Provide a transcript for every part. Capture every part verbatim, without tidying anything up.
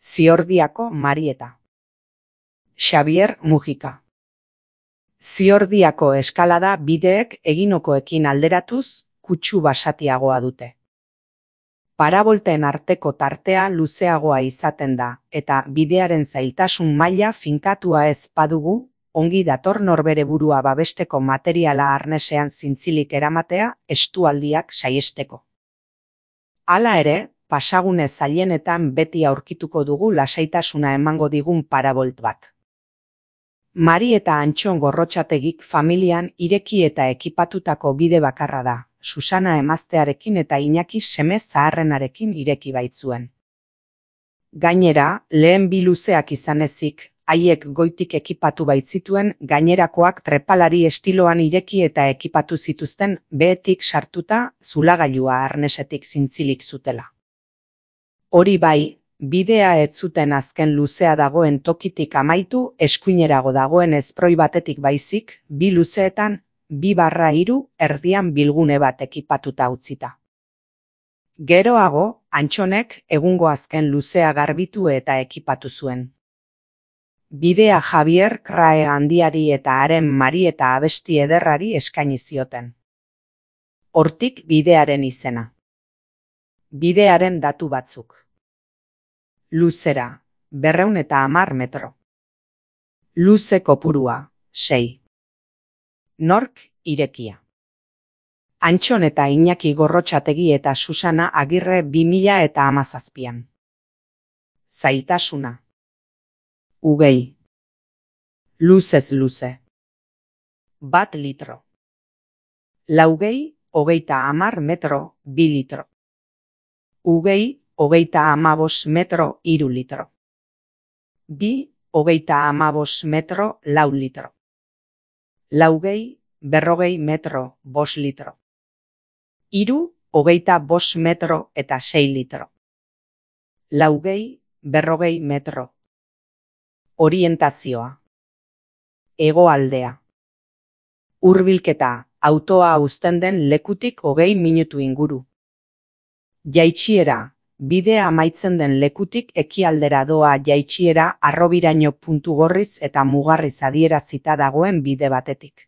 Ziordiako Marieta. Xabier Mujika. Ziordiako eskalada bideek eginokoekin alderatuz kutsu basatiagoa dute. Parabolten arteko tartea luzeagoa izaten da, eta bidearen zailtasun maila finkatua ez badugu, ongi dator norbere burua babesteko materiala arnesean zintzilik eramatea estualdiak saiesteko. Hala ere, pasagune zailenetan beti aurkituko dugu lasaitasuna emango digun parabolt bat. Mari eta Antxon Gorrotxategik familian ireki eta ekipatutako bide bakarra da, Susana emaztearekin eta Iñaki seme zaharrenarekin ireki baitzuen. Gainera, lehen bi luzeak izan ezik, haiek goitik ekipatu baitzituen gainerakoak trepalari estiloan ireki eta ekipatu zituzten behetik sartuta zulagailua arnesetik zintzilik zutela. Hori bai, bidea ez zuten azken luzea dagoen tokitik amaitu eskuinerago dagoen esproi batetik baizik, bi luzeetan, bi barra hiru erdian bilgune bat ekipatuta utzita. Geroago, Antxonek egungo azken luzea garbitu eta ekipatu zuen. Bidea Javier Krae handiari eta haren Marieta abesti ederrari eskaini zioten. Hortik bidearen izena. Bidearen datu batzuk. Luzera, berreun eta hamar metro. Luze kopurua, sei. Nork, irekia. Antxon eta Iñaki Gorrotxategi eta Susana Agirre bi mila eta hamazazpian. Zailtasuna. Ugei. Luzez luze. Bat litro. Laugei, hogeita hamar metro, bi litro. Ugei, hogeita hamabos metro, hiru litro. Bi, hogeita hamabos metro, lau litro. Laugei, berrogei metro, bos litro. Hiru, hogeita bos metro eta sei litro. Laugei, berrogei metro. Orientazioa. Hegoaldea. Hurbilketa, autoa uzten den lekutik hogei minutu inguru. Jaitsiera, bidea amaitzen den lekutik ekialdera doa jaitsiera Harrobiraino puntu gorriz eta mugarriz adierazita dagoen bide batetik.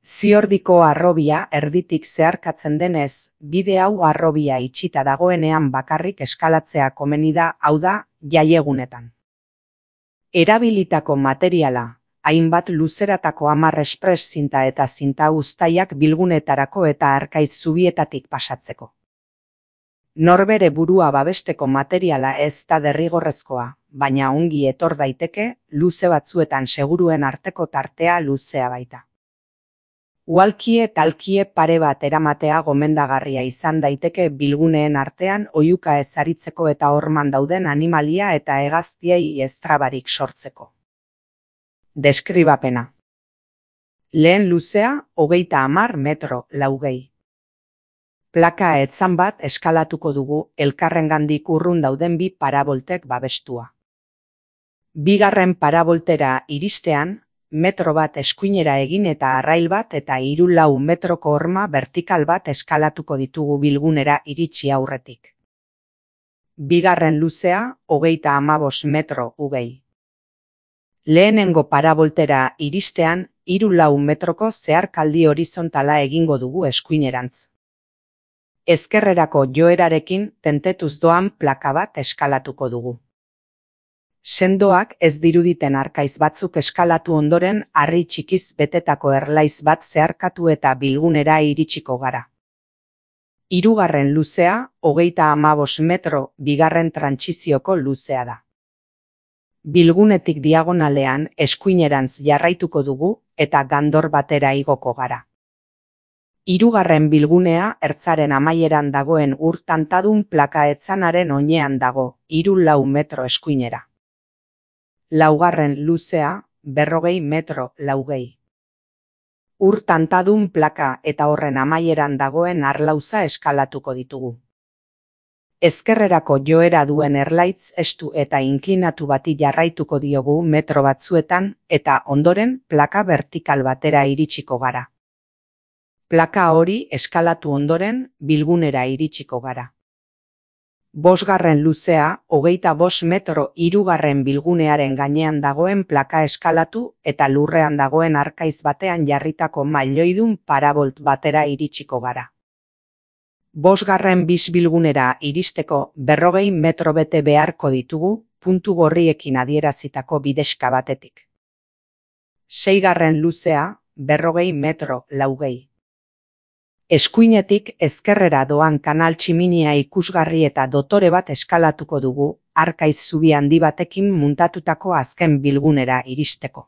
Ziordiko harrobia erditik zeharkatzen denez, bide hau harrobia itxita dagoenean bakarrik eskalatzea komeni da, hau da, jaiegunetan. Erabilitako materiala, hainbat luzeratako hamar espres zinta eta zinta uztaiak bilgunetarako eta Arkaiz zubietatik pasatzeko. Norbere burua babesteko materiala ez da derrigorrezkoa, baina ongi etor daiteke, luze batzuetan seguruen arteko tartea luzea baita. Uhalkie talkie pare bat eramatea gomendagarria izan daiteke bilguneen artean oihuka ez aritzeko eta horman dauden animalia eta hegaztiei eztrabarik sortzeko. Deskribapena. Lehen luzea, hogeita hamar metro, laugei. Plaka etzan bat eskalatuko dugu elkarrengandik urrun dauden bi paraboltek babestua. Bigarren paraboltera iristean, metro bat eskuinera egin eta arrail bat eta hiru lau metroko horma vertikal bat eskalatuko ditugu bilgunera iritsi aurretik. Bigarren luzea, hogeita hamabos metro, ugei. Lehenengo paraboltera iristean, hiru lau metroko zeharkaldi horizontala egingo dugu eskuinerantz. Ezkerrerako joerarekin tentetuz doan plaka bat eskalatuko dugu. Sendoak ez diruditen Arkaiz batzuk eskalatu ondoren harri txikiz betetako erlaiz bat zeharkatu eta bilgunera iritsiko gara. Hirugarren luzea, hogeita hamabos metro, bigarren trantsizioko luzea da. Bilgunetik diagonalean eskuinerantz jarraituko dugu eta gandor batera igoko gara. Hirugarren bilgunea ertzaren amaieran dagoen ur tantadun plaka etzanaren oinean dago, hiru lau metro eskuinera. Laugarren luzea, berrogei metro, laugei. Ur tantadun plaka eta horren amaieran dagoen arlauza eskalatuko ditugu. Ezkerrerako joera duen erlaitz estu eta inklinatu bati jarraituko diogu metro batzuetan eta ondoren plaka vertikal batera iritsiko gara. Plaka hori eskalatu ondoren bilgunera iritsiko gara. Bosgarren luzea, hogeita bost metro hirugarren bilgunearen gainean dagoen plaka eskalatu eta lurrean dagoen arkaiz batean jarritako mailoidun parabolt batera iritsiko gara. Bosgarren bisbilgunera iristeko berrogei metro bete beharko ditugu, puntu gorriekin adierazitako bidexka batetik. Seigarren luzea, berrogei metro laugei. Eskuinetik ezkerrera doan kanal tximinia ikusgarri eta dotore bat eskalatuko dugu, arkaiz zubi handi batekin muntatutako azken bilgunera iristeko.